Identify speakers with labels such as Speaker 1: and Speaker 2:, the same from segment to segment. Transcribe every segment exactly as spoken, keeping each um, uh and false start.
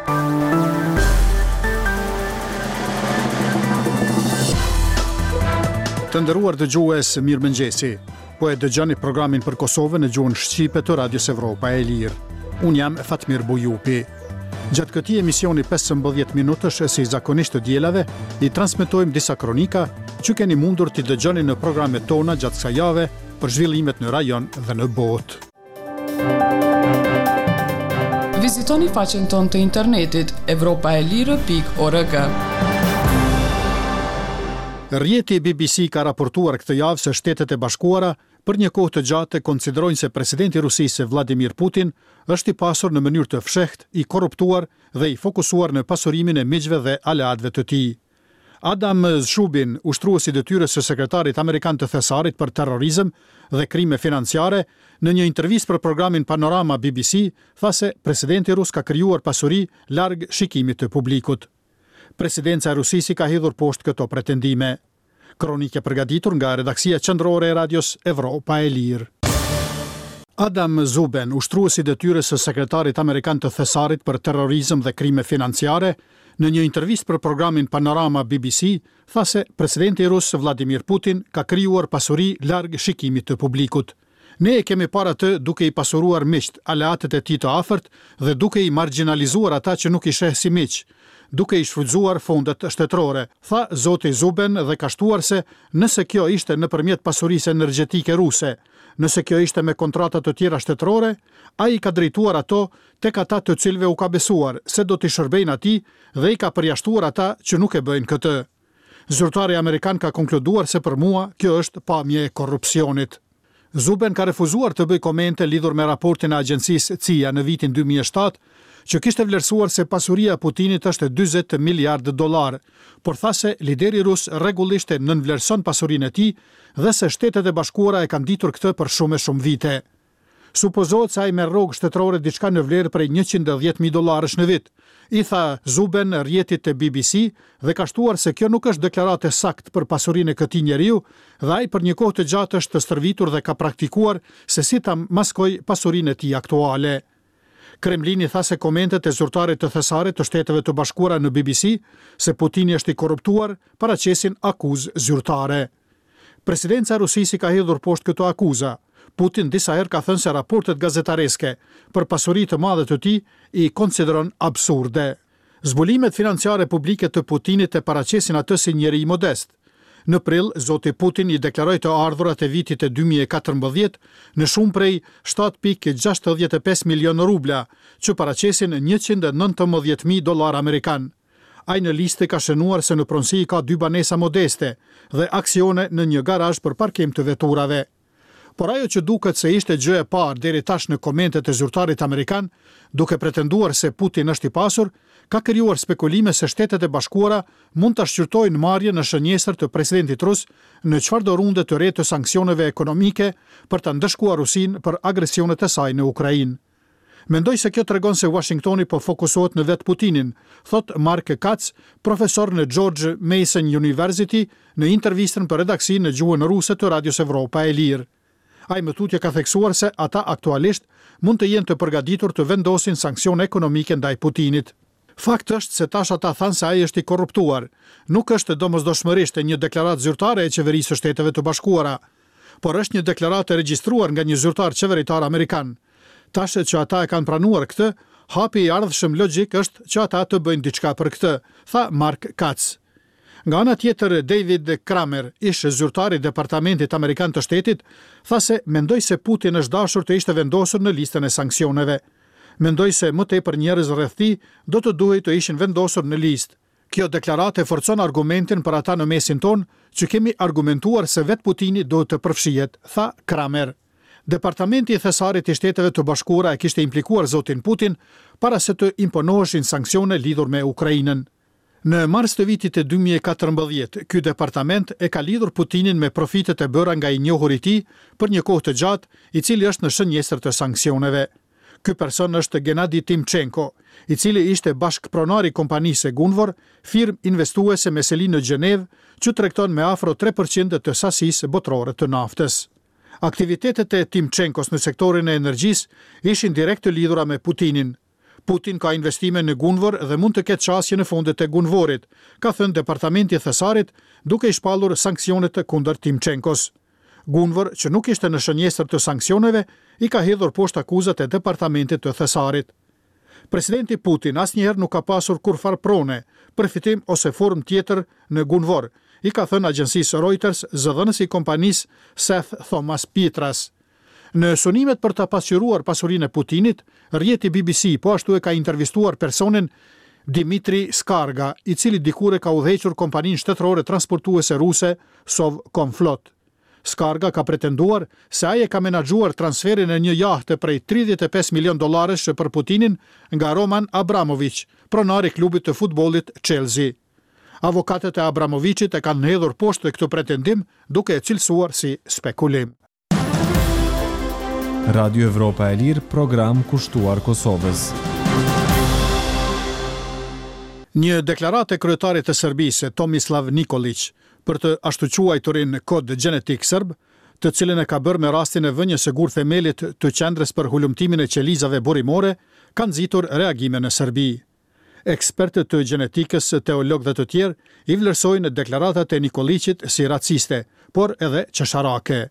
Speaker 1: Të nderuar dëgjues, mirëmëngjesi. Po e dëgjoni programin për Kosovën në gjuhën shqipe të Radios Evropa e Lirë. Unë jam Fatmir Bujupi. Gjatë këtij emisioni pesëmbëdhjetë minutësh, si zakonisht të dielave, i transmetojmë disa kronika që keni mundur t'i dëgjoni në programet tona gjatë kësaj jave për zhvillimet në rajon dhe në botë.
Speaker 2: Vizitoni faqen tonë të internetit evropaelire pikë org.
Speaker 1: Rrjeti B B C ka raportuar këtë javë se Shtetet e Bashkuara për një kohë të gjatë konsiderojnë se presidenti i Rusisë Vladimir Putin është i pasur në mënyrë të fshehtë, i korruptuar dhe i fokusuar në pasurimin e miqve dhe aleatëve të tij. Adam Szubin, ushtrues i detyrës së sekretarit amerikan të Thesarit për terrorizëm dhe krime financiare, në një intervistë për programin Panorama B B C, tha se presidenti rus ka krijuar pasuri larg shikimit të publikut. Presidenca e Rusisë i ka hedhur poshtë këto pretendime. Kronike përgatitur nga redaksia qendrore e Radios Evropa e Lirë. Adam Zuben, ushtrues i detyrës së sekretarit amerikan të Thesarit për terrorizëm dhe krime financiare, në një intervistë për programin Panorama B B C, tha se presidenti rus Vladimir Putin ka krijuar pasuri larg shikimit të publikut. Ne e kemi parë atë duke i pasuruar miqt, aleatët e tij të afërt dhe duke i marginalizuar ata që nuk i sheh si miq, duke i shfrytzuar fondet shtetërore, tha zoti Zuben dhe ka shtuar se nëse kjo ishte nëpërmjet pasurisë energjetike ruse, nëse kjo ishte me kontrata të tjera shtetërore, ai i ka drejtuar ato tek ata të cilëve u ka besuar se do t'i shërbejnë atij dhe i ka përjashtuar ata që nuk e bëjnë këtë. Zyrtari amerikan ka konkluduar se për mua kjo është pamje e korrupsionit. Zuben ka refuzuar të bëjë komente lidhur me raportin e agjencisë C I A në vitin dy mijë e shtatë, që kishte vlerësuar se pasuria e Putinit është dyzet miliardë dollar, por tha se lideri rus rregullisht e nënvlerëson pasurinë e tij dhe se Shtetet e Bashkuara e kanë ditur këtë për shumë e shumë vite. Supozohet se ai merr rrogë shtetërore diçka në vlerë prej njëqind e dhjetë mijë dollarësh në vit, i tha Zuben rrjetit të B B C dhe ka shtuar se kjo nuk është deklaratë e saktë për pasurinë e këtij njeriu dhe ai për një kohë të gjatë është stërvitur dhe ka praktikuar se si ta maskoj pasurinë e tij aktuale. Kremlini tha se komentet e zyrtarit të Thesarit të Shteteve të Bashkuara në B B C se Putini është i korruptuar paraqesin akuzë zyrtare. Presidenca e Rusisë i ka hedhur poshtë këto akuza. Putin disa herë ka thënë se raportet gazetareske për pasuri të madhe të tij i konsideron absurde. Zbulimet financiare publike të Putinit e paraqesin atë si njeri modest. Në prill, zoti Putin i deklaroi të ardhurat e vitit të dy mijë e katërmbëdhjetë në shumë prej shtatë pikë gjashtëdhjetë e pesë milion rubla, që paraqesin njëqind e nëntëmbëdhjetë mijë dollar amerikan. Ai në listë ka shënuar se në pronësi ka dy banesa modeste dhe aksione në një garazh për parkim të veturave. Por ajo që duket se ishte gjë e parë deri tash në komentet e zyrtarit amerikan, duke pretenduar se Putin është i pasur, ka krijuar spekulime se Shtetet e Bashkuara mund ta shqyrtojnë marrjen në shënjestër të presidentit rus në çfarëdo runde të re të sanksioneve ekonomike për ta ndëshkuar Rusinë për agresionet e saj në Ukrainë. Mendoj se kjo tregon se Washingtoni po fokusohet në vetë Putinin, thot Mark Katz, profesor në George Mason University, në intervistën për redaksinë në gjuhën ruse të Radios Evropa e Lirë. Ai më tutje ka theksuar se ata aktualisht mund të jenë të përgatitur të vendosin sanksione ekonomike ndaj Putinit. Fakt është se tash ata thanë se ai është i korruptuar. Nuk është domosdoshmërisht një deklaratë zyrtare e qeverisë së Shteteve të Bashkuara, por është një deklaratë e regjistruar nga një zyrtar qeveritar amerikan. Tash që ata e kanë pranuar këtë, hapi i ardhshëm logjik është që ata të bëjnë diçka për këtë, tha Mark Katz. Nga ana tjetër, David Kramer, ish zyrtar i Departamentit Amerikan të Shtetit, tha se mendoj se Putin është dashur të ishte vendosur në listën e sanksioneve. Mendoj se më tepër njerëz rreth tij do të duhej të ishin vendosur në listë. Kjo deklaratë e forcon argumentin për ata në mesin tonë që kemi argumentuar se vetë Putini duhet të përfshihet, tha Kramer. Departamenti i Thesarit i Shteteve të Bashkuara e kishte implikuar zotin Putin para se të imponoheshin sanksione lidhur me Ukrainën. Në mars të vitit të dy mijë e katërmbëdhjetë, ky departament e ka lidhur Putinin me profitet e bëra nga i njohuri i tij për një kohë të gjatë, i cili është në shënjestër të sanksioneve. Ky person është Gennady Timchenko, i cili ishte bashkëpronar i kompanisë Gunvor, firmë investuese me seli në Gjenevë, që tregton me afro tre përqind të sasisë botërore të naftës. Aktivitetet e Timchenkos në sektorin e energjisë ishin direkt të lidhura me Putinin. Putin ka investime në Gunvor dhe mund të ketë qasje në fondet e Gunvorit, ka thënë Departamenti i Thesarit, duke i shpallur sanksionet kundër Timchenkos. Gunvor, që nuk ishte në shënjestër të sanksioneve, i ka hedhur poshtë akuzat e Departamentit të Thesarit. Presidenti Putin asnjëherë nuk ka pasur kurrfarë prone, përfitim ose formë tjetër në Gunvor, i ka thënë agjencisë Reuters zëdhënësi i kompanisë Seth Thomas Petras. Në sunimet për të pasqyruar pasurinë e Putinit, rrjeti B B C po ashtu e ka intervistuar personin Dimitri Skarga, i cili dikur e ka udhëhequr kompaninë shtetërore transportuese ruse Sovcomflot. Skarga ka pretenduar se ai e ka menaxhuar transferin e një jahte prej tridhjetë e pesë milion dollarësh për Putinin nga Roman Abramovich, pronari i klubit të futbollit Chelsea. Avokatët e Abramovichit e kanë hedhur poshtë këtë pretendim, duke e cilësuar si spekulim.
Speaker 3: Radio Evropa e Lirë, program kushtuar Kosovës.
Speaker 1: Një deklaratë e kryetarit të Serbisë, Tomislav Nikolic, për të ashtuquajturin kod gjenetik serb, të cilin e ka bërë me rastin e vënies së gur themelit të qendrës për hulumtimin e qelizave burimore, ka nxitur reagime në Serbi. Ekspertët të gjenetikës, teologë dhe të tjerë i vlerësojnë deklaratat e Nikoliqit si raciste, por edhe qesharake.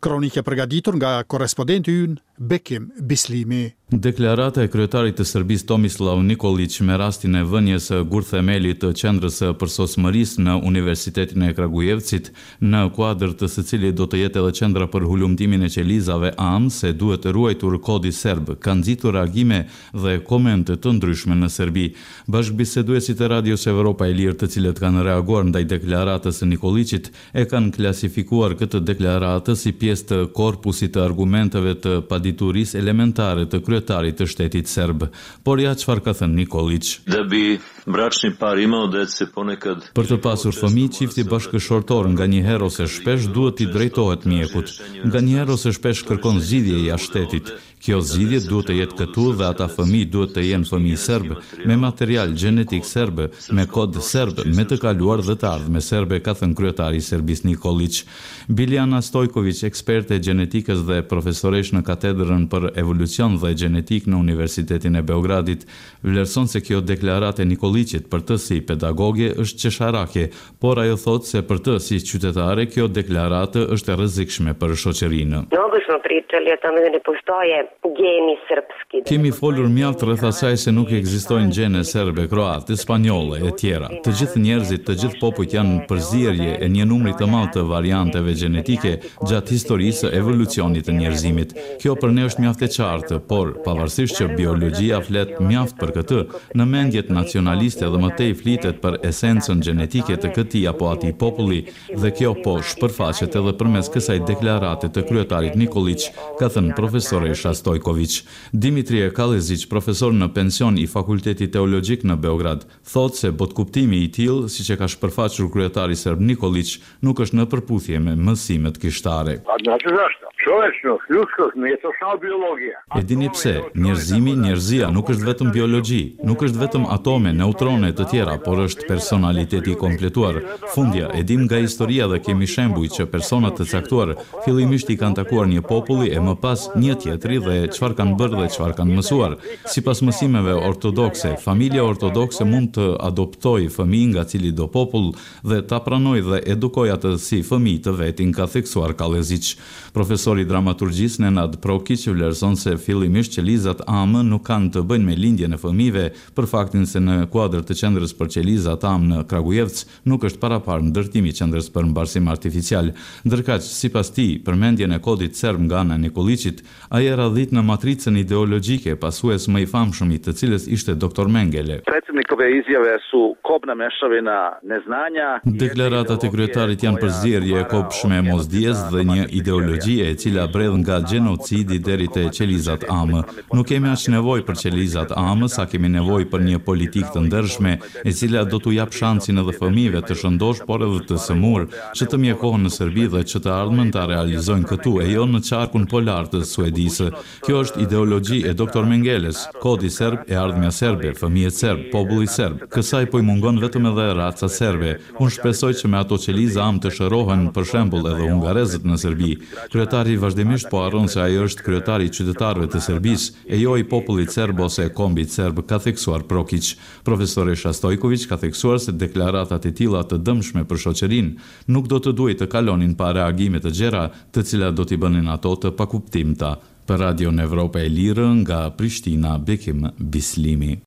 Speaker 1: Kronikë e përgatitur nga korrespondenti ynë Bekim Bislimi.
Speaker 4: Deklarata e kryetarit të Serbisë Tomislav Nikolic me rastin e vënies së gurthemelit të qendrës së përsosmërisë në Universitetin e Kragujevcit, në kuadër të së cilit do të jetë edhe qendra për hulumtimin e qelizave amë, se duhet ruajtur kodi serb, ka nxitur reagime dhe komente të ndryshme në Serbi. Bashkëbiseduesit e Radios Evropa e Lirë, të cilët kanë reaguar ndaj deklaratës së Nikoliqit, e kanë klasifikuar këtë deklaratë si pjesë të korpusit të argumenteve të paditurisë elementare të kryetarit të shtetit serb. Por ja çfarë ka thënë Nikolic.
Speaker 5: Da bi bračni par imao dece ponekad.
Speaker 4: Për të pasur fëmijë, çifti bashkëshortor nga një herë ose shpesh duhet t'i drejtohet mjekut. Nga një herë ose shpesh kërkon zgjidhje jashtë shtetit. Kjo zgjidhje duhet të jetë këtu dhe ata fëmijë duhet të jenë fëmijë serb, me material gjenetik serb, me kod serb, me të kaluar dhe të ardhme serbe, ka thënë kryetari i Serbisë Nikolic. Biljana Stojković, eksperte e gjenetikës dhe profesoresh në katedrën për evolucion dhe gjenetik në Universitetin e Beogradit, vlerëson se kjo deklaratë e Nikoliqit për të si pedagoge është qesharake, por ajo thotë se për të si qytetare kjo deklaratë është e rrezikshme për shoqërinë.
Speaker 6: Mnogo smo pričali o tome da ne postoje geni srpski.
Speaker 4: Kemi folur mjaft rreth asaj se nuk ekzistojnë gjene serbe, kroate, spanjolle e tjera. Të gjithë njerëzit, të gjithë popujt janë përzierje e një numri të madh të varianteve gjenetike gjatë historisë së evolucionit të njerëzimit. Kjo për ne është mjaft e qartë, por pavarësisht që biologjia flet mjaft për këtë, në mendjet nacionaliste dhe më tej flitet për esencën gjenetike të këtij apo atij populli dhe kjo po shpërfaqet edhe përmes kësaj deklarate të kryetarit Nikolic, ka thënë profesoresha Stojković. Dimitrije Kalezić, profesor në pension i Fakultetit Teologjik në Beograd, thotë se botkuptimi i tillë, siç e ka shpërfaqur kryetari serb Nikolic, nuk është në përputhje me mësimet kishtare.
Speaker 7: Pa znate zašto? Čovečnost, ljudskost nije to samo biologija.
Speaker 4: E dini pse, njerëzimi, njerëzia nuk është vetëm biologji, nuk është vetëm atome, neutrone të tjera, por është personaliteti i kompletuar. Fundja, e dim nga historia dhe kemi shembuj që persona të caktuar fillimisht i kanë takuar një populli e më pas një tjetri dhe çfarë kanë bërë dhe çfarë kanë mësuar. Sipas mësimeve ortodokse, familja ortodokse mund të adoptojë fëmijë nga cili do popull dhe ta pranojë dhe edukojë atë si fëmijë të vetin, ka theksuar Kalezić. Profesori i dramaturgjisë Nenad Prokić vlerëson se fillimisht qelizat amë nuk kanë të bëjnë me lindjen e fëmijëve, për faktin se në kuadër të qendrës për qelizat amë në Kragujevc nuk është paraparë ndërtimi i qendrës për mbarsim artificial. Ndërkaq, sipas tij, përmendjen e kodit serb nga ana e Nikoliqit, ai e radhit në matricën ideologjike, pasues më i famshëm i të cilës ishte doktor Mengele.
Speaker 8: Predsjednikove izjave su kobna mešavina neznanja.
Speaker 4: Deklaratat e kryetarit janë përzierje e kobshme e mosdijes dhe një ideologjie e cila bredh nga gjenocidi deri te qelizat amë. Nuk kemi aq nevojë për qelizat amë sa kemi nevojë për një politikë të ndershme, e cila do t'u jap shansin edhe fëmijëve të shëndosh, por edhe të sëmur, që të mjekohen në Serbi dhe që të ardhmen ta realizojnë këtu e jo në qarkun polar të Suedisë. Kjo është ideologji e doktor Mengeles, kodi serb, e ardhmja serbe, fëmijët serb, populli serb. Kësaj po i mungon vetëm edhe raca serbe. Unë shpresoj që me ato qeliza amë të shërohen, për shembull, edhe hungarezët në Serbi. Kryetari Kryetari vazhdimisht po harron se ai është kryetari i qytetarëve të Serbisë, e jo i popullit serb ose kombit serb, ka theksuar Prokiq. Profesoresha Stojkoviq ka theksuar se deklaratat e tilla të dëmshme për shoqërinë nuk do të duhej të kalonin pa reagime të gjera, të cilat do t'i bënin ato të pakuptimta. Për Radion Evropa e Lirë nga Prishtina, Bekim Bislimi.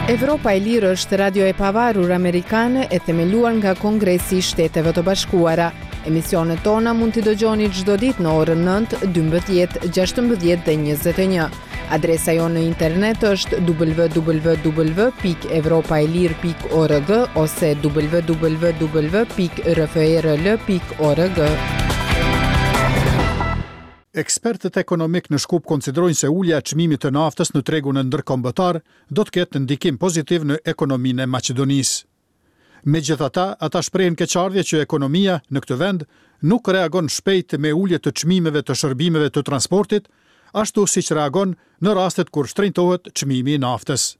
Speaker 9: Evropa e Lirë është radio e pavarur amerikane e themeluar nga Kongresi i Shteteve të Bashkuara. Emisionet tona mund t'i dëgjoni çdo ditë në orën nëntë, dymbëdhjetë, gjashtëmbëdhjetë dhe njëzet e një. Adresa jonë në internet është w w w pikë evropa e lirë pikë org ose w w w pikë r f r l pikë org.
Speaker 1: Ekspertët ekonomik në Shkup konsiderojnë se ulja e çmimit të naftës në tregun ndërkombëtar do të ketë ndikim pozitiv në ekonominë e Maqedonisë. Megjithatë, ata shprehen keqardhje që ekonomia në këtë vend nuk reagon shpejt me ulje të çmimeve të shërbimeve të transportit, ashtu siç reagon në rastet kur shtrenjtohet çmimi i naftës.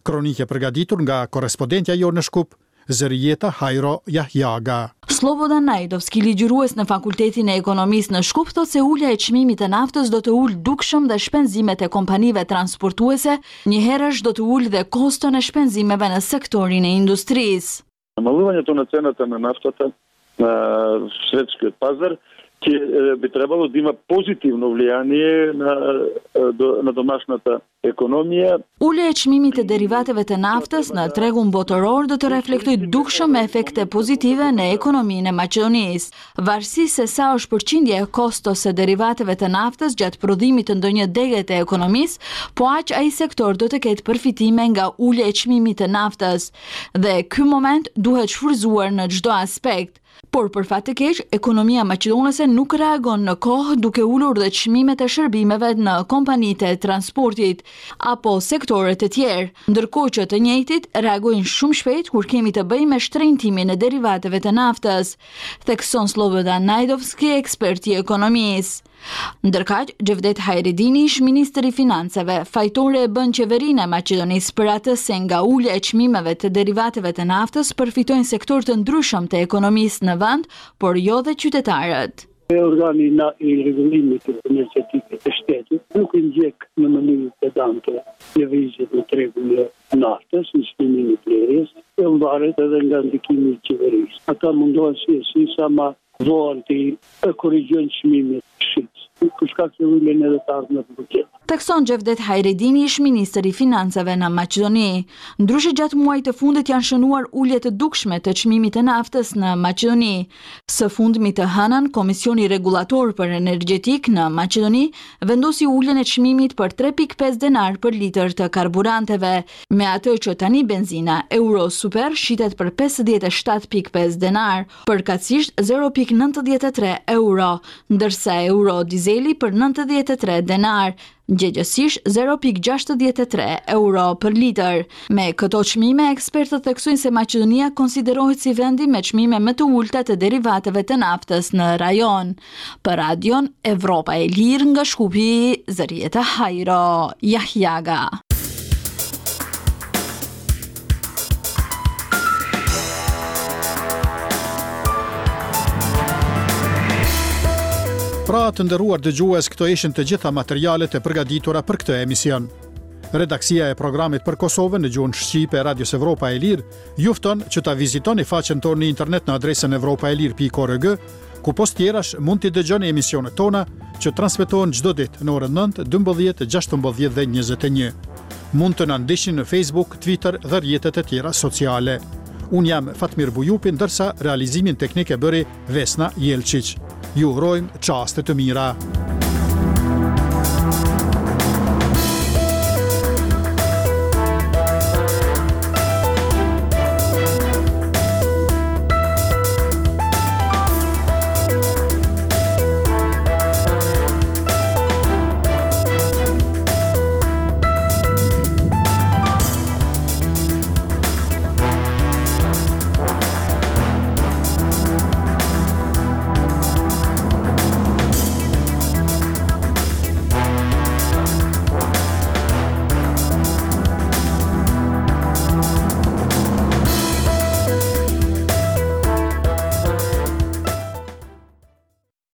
Speaker 1: Kronikë e përgatitur nga korrespondentja jonë në Shkup, Zërijeta Hajro Jahjaga.
Speaker 10: Slobodan Najdovski, ligjërues në Fakultetin e Ekonomisë në Shkup, thotë se ulja e çmimit të naftës do të ulë dukshëm dhe shpenzimet e kompanive transportuese, njëherësh do të ulë dhe koston e shpenzimeve në sektorin e industrisë.
Speaker 11: Намалувањето на цената на нафтата на светскиот пазар ќе би требало да има позитивно влијание на, на домашната економија.
Speaker 10: Ulja e çmimit të derivateve të naftës në tregun botëror do të reflektojë dukshëm efekte pozitive në ekonominë e Maqedonisë. Varësisht se sa është përqindja e kostos së derivateve të naftës gjatë prodhimit të ndonjë dege të ekonomisë, po aq ai sektor do të ketë përfitime nga ulja e çmimit të naftës. Dhe ky moment duhet shfrytzuar në çdo aspekt. Por për fat të keq, ekonomia maqedonase nuk reagon në kohë duke ulur dhe çmimet e shërbimeve në kompanitë e transportit apo sektorët e tjerë, ndërkohë që të njëjtit reagojnë shumë shpejt kur kemi të bëjmë me shtrenjtimin e derivateve të naftës, thekson Slobodan Najdovski, ekspert i ekonomisë. Ndërkaq, Xhevdet Hajredini, ish ministri i Financave, fajtore e bën qeverinë e Maqedonisë për atë se nga ulja e çmimeve të derivateve të naftës përfitojnë sektorë të ndryshëm të ekonomisë në vend, por jo dhe qytetarët.
Speaker 12: Organi i rregullimit energjetik të shtetit nuk i ndjek në mënyrë pedante lëvizjet në tregun e naftës, në çmimin e blerjes, e varet edhe nga ndikimi i qeverisë. Ata mundohen si e si sa ma vonë të korrigjojnë çmimet shitës, për shkak se ulen edhe të ardhmet në buxhet.
Speaker 10: Thekson Xhevdet Hajredini, ish ministër i Financave në Maqedoni. Ndryshe gjatë muajit të fundit janë shënuar ulje të dukshme të çmimit të naftës në Maqedoni. Së fundmi të hënën, Komisioni Rregullator për Energjetik në Maqedoni vendosi uljen e çmimit për tre pikë pesë denar për litër të karburanteve, me atë që tani benzina Euro Super shitet për pesëdhjetë e shtatë pikë pesë denar, përkatësisht zero pikë nëntëdhjetë e tre euro, ndërsa euro dizeli për nëntëdhjetë e tre denar, gjegjësisht zero pikë gjashtëdhjetë e tre euro për litër. Me këto çmime, ekspertët theksojnë se Maqedonia konsiderohet si vendi me çmime më të ulta të derivateve të naftës në rajon. Për Radion Evropa e Lirë nga Shkupi, Zërijeta Hajro Jahjaga.
Speaker 1: Pra, të nderuar dëgjues, këto ishin të gjitha materialet e përgatitura për këtë emision. Redaksia e programit për Kosovën në gjuhën shqipe e Radios Evropa e Lirë ju fton që ta vizitoni faqen tonë në internet në adresën evropa e lirë pikë org, ku pos tjerash mund t'i dëgjoni emisionet tona që transmetohen çdo ditë në orën nëntë, dymbëdhjetë, gjashtëmbëdhjetë dhe njëzet e një. Mund të na ndiqni në Facebook, Twitter dhe rrjetet e tjera sociale. Unë jam Fatmir Bujupi, ndërsa realizimin teknik e bëri Vesna Jelčić. Ju urojmë çaste të mira.